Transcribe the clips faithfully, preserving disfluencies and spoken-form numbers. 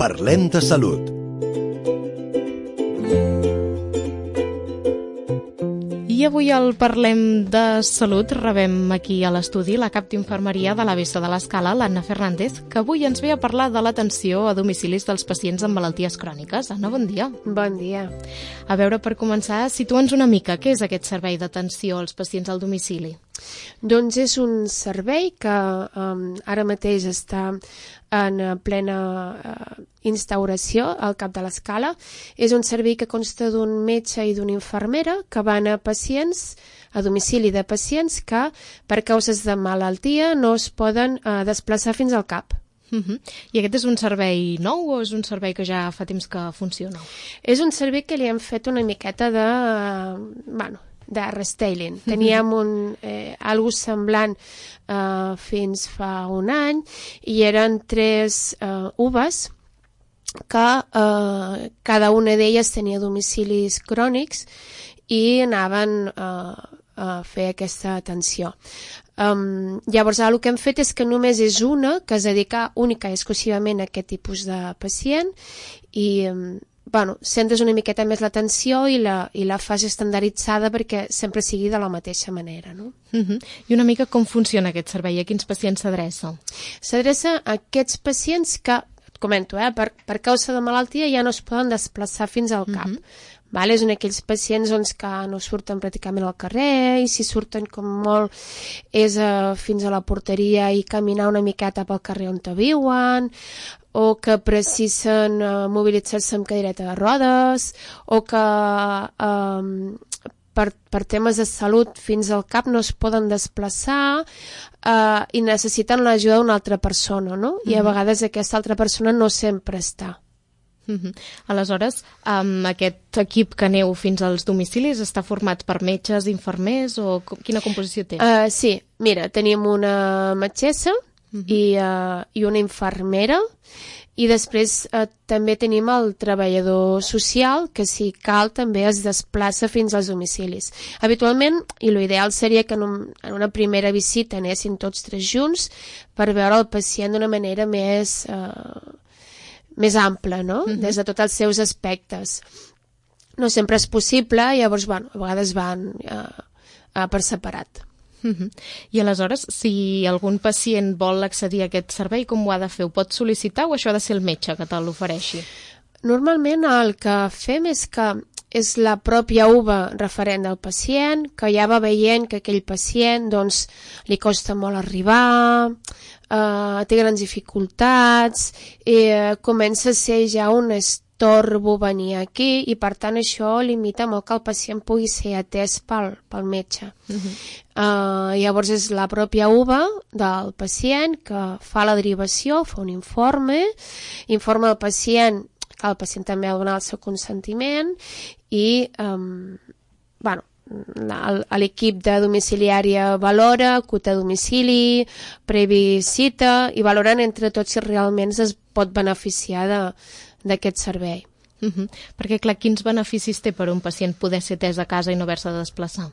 Parlem de salut. I avui al Parlem de Salut rebem aquí a l'estudi la cap d'infermeria de l'A B C de l'Escala, l'Anna Fernández, que avui ens ve a parlar de l'atenció a domicilis dels pacients amb malalties cròniques. Anna, bon dia. Bon dia. A veure, per començar, situa'ns una mica. Què és aquest servei d'atenció als pacients al domicili? Doncs és un servei que um, ara mateix està en plena uh, instauració al cap de l'Escala. És un servei que consta d'un metge i d'una infermera que van a pacients, a domicili de pacients que per causes de malaltia no es poden uh, desplaçar fins al cap. Uh-huh. I aquest és un servei nou o és un servei que ja fa temps que funciona? És un servei que li hem fet una miqueta de... Uh, bueno, de restyling. Teníem un, eh, algo semblant eh, fins fa un any i eren tres eh, uves que eh, cada una d'elles tenia domicilis crònics i anaven eh, a fer aquesta atenció. Um, llavors, el que hem fet és que només és una que es dedica única i exclusivament a aquest tipus de pacient i um, bueno, centres una miqueta més l'atenció i la, i la fas estandarditzada perquè sempre sigui de la mateixa manera, no? Uh-huh. I una mica com funciona aquest servei? A quins pacients s'adreça? S'adreça a aquests pacients que, et comento, eh, per, per causa de malaltia ja no es poden desplaçar fins al cap. Uh-huh. Vale? És un d'aquells pacients doncs, que no surten pràcticament al carrer i si surten com molt és uh, fins a la porteria i caminar una miqueta pel carrer on te viuen, o que precisen uh, mobilitzar-se amb cadireta de rodes, o que um, per, per temes de salut fins al cap no es poden desplaçar uh, i necessiten l'ajuda d'una altra persona, no? Mm-hmm. I a vegades aquesta altra persona no sempre està. Uh-huh. Aleshores, um, aquest equip que aneu fins als domicilis està format per metges, infermers o com, quina composició té? Uh, sí, mira, tenim una metgessa uh-huh. i, uh, i una infermera i després uh, també tenim el treballador social que si cal també es desplaça fins als domicilis. Habitualment, i l'ideal seria que en, un, en una primera visita anessin tots tres junts per veure el pacient d'una manera més... Uh, més ample, no? Uh-huh. Des de tots els seus aspectes. No sempre és possible, llavors, bueno, a vegades van uh, uh, per separat. Uh-huh. I aleshores, si algun pacient vol accedir a aquest servei, com ho ha de fer? Ho pot sol·licitar o això ha de ser el metge que te l'ofereixi? Normalment el que fem és que és la pròpia uva referent del pacient, que ja va veient que aquell pacient doncs, li costa molt arribar, eh, té grans dificultats, i eh, comença a ser ja un estorbo venir aquí i per tant això limita molt que el pacient pugui ser atès pel, pel metge. Uh-huh. eh, llavors és la pròpia uva del pacient que fa la derivació, fa un informe, informa el pacient que el pacient també ha de donar el seu consentiment i um, bueno, l'equip de domiciliària valora, acuta a domicili, previ cita i valoren entre tots si realment es pot beneficiar d'aquest servei. Uh-huh. Perquè, clar, quins beneficis té per un pacient poder ser atès a casa i no haver-se de desplaçar?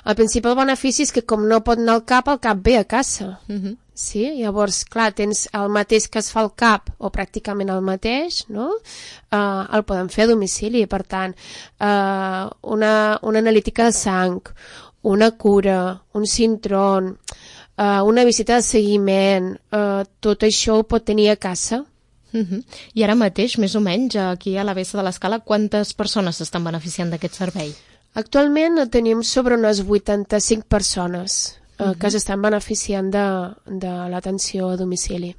El principal benefici és que com no pot anar al cap, el cap ve a casa. Uh-huh. Sí? Llavors, clar, tens el mateix que es fa al cap, o pràcticament el mateix, no? Uh, el poden fer a domicili, per tant, uh, una, una analítica de sang, una cura, un sintron, uh, una visita de seguiment, uh, tot això ho pot tenir a casa. Uh-huh. I ara mateix, més o menys, aquí a l'A B C de l'Escala, quantes persones s'estan beneficiant d'aquest servei? Actualment tenim sobre unes vuitanta-cinc persones uh-huh. que s'estan beneficiant de, de l'atenció a domicili.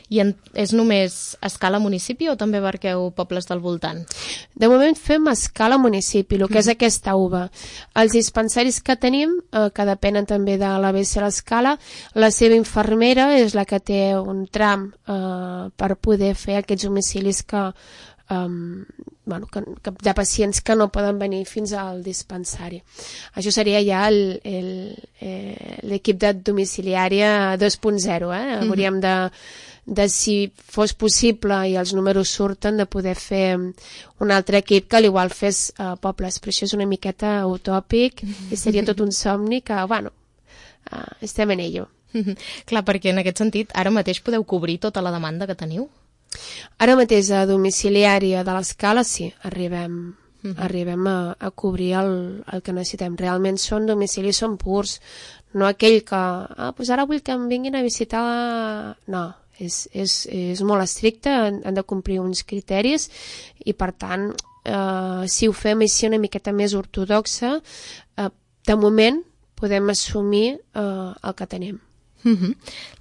I en, és només a escala municipi o també abarqueu pobles del voltant? De moment fem a escala municipi, el que mm. és aquesta uva. Els dispensaris que tenim, eh, que depenen també de l'A B C a l'Escala, la seva infermera és la que té un tram eh, per poder fer aquests domicilis que, um, bueno, que, que, de pacients que no poden venir fins al dispensari. Això seria ja el, el, eh, l'equip de domiciliària dos punt zero. Eh? Mm-hmm. Hauríem de de si fos possible i els números surten de poder fer un altre equip que l'igual fes a pobles, però això és una miqueta utòpic i seria tot un somni que, bueno, uh, estem en ello. Clar, perquè en aquest sentit ara mateix podeu cobrir tota la demanda que teniu? Ara mateix a domiciliària de l'escala sí, arribem, uh-huh. arribem a, a cobrir el, el que necessitem. Realment són domicilis, són purs, no aquell que, ah, doncs ara vull que em vinguin a visitar... No, és, és, és molt estricte, han, han de complir uns criteris i per tant, eh, si ho fem així una miqueta més ortodoxa, eh, de moment podem assumir eh, el que tenim. Uh-huh.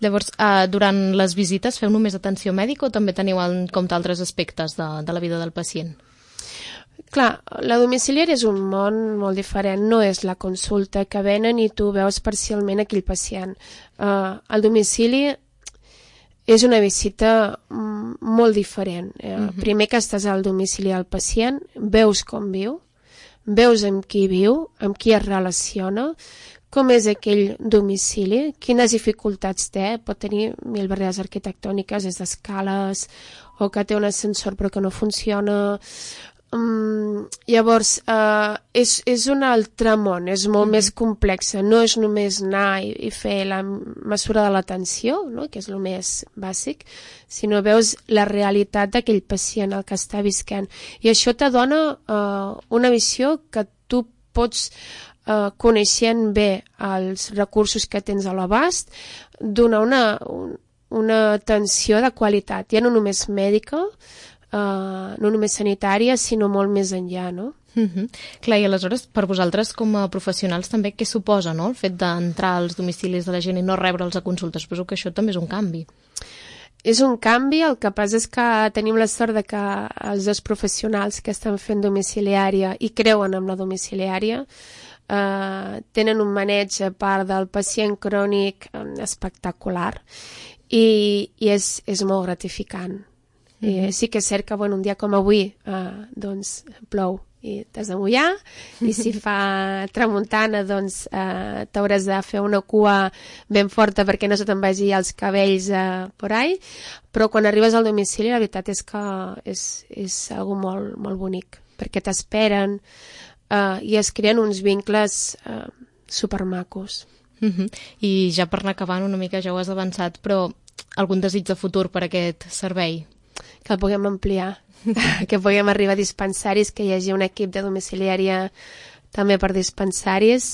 Llavors, uh, durant les visites feu només atenció mèdica o també teniu en compte altres aspectes de, de la vida del pacient? Clar, la domiciliària és un món molt diferent, no és la consulta que venen i tu veus parcialment aquell pacient. Uh, el domicili és una visita molt diferent. Uh, uh-huh. Primer que estàs al domicili del pacient, veus com viu, veus amb qui viu, amb qui es relaciona, com és aquell domicili, quines dificultats té, pot tenir mil barreres arquitectòniques, des d'escales, o que té un ascensor però que no funciona. Um, llavors, uh, és, és un altre món, és molt mm. més complex, no és només anar i, i fer la mesura de l'atenció, no? Que és el més bàsic, sinó veus la realitat d'aquell pacient, el que està visquent. I això te dona uh, una visió que tu pots Uh, coneixent bé els recursos que tens a l'abast, donar una, un, una atenció de qualitat, ja no només mèdica, uh, no només sanitària, sinó molt més enllà, no? Uh-huh. Clar, i aleshores, per vosaltres com a professionals també què suposa, no?, el fet d'entrar als domicilis de la gent i no rebre'ls a consultes? Suposo que això també és un canvi. És un canvi, el que passa és que tenim la sort de que els dos professionals que estan fent domiciliària i creuen en la domiciliària Uh, tenen un maneig a part del pacient crònic um, espectacular i, i és, és molt gratificant. Mm-hmm. I sí que és cert que bueno, un dia com avui uh, doncs plou i t'has de mullar i si fa tramuntana doncs uh, t'hauràs de fer una cua ben forta perquè no se te'n vagi els cabells uh, por ahí, però quan arribes al domicili la veritat és que és, és algo molt, molt bonic perquè t'esperen Uh, i es creen uns vincles uh, supermacos. Uh-huh. I ja per anar acabant una mica, ja ho has avançat, però algun desig de futur per aquest servei? Que el puguem ampliar, que puguem arribar a dispensaris, que hi hagi un equip de domiciliària també per dispensaris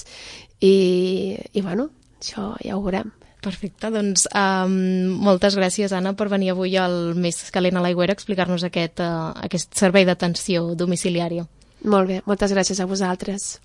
i, i bueno, això ja ho veurem. Perfecte, doncs um, moltes gràcies, Anna, per venir avui al Més calent a l'aigüera a explicar-nos aquest, uh, aquest servei d'atenció domiciliària. Molt bé, moltes gràcies a vosaltres.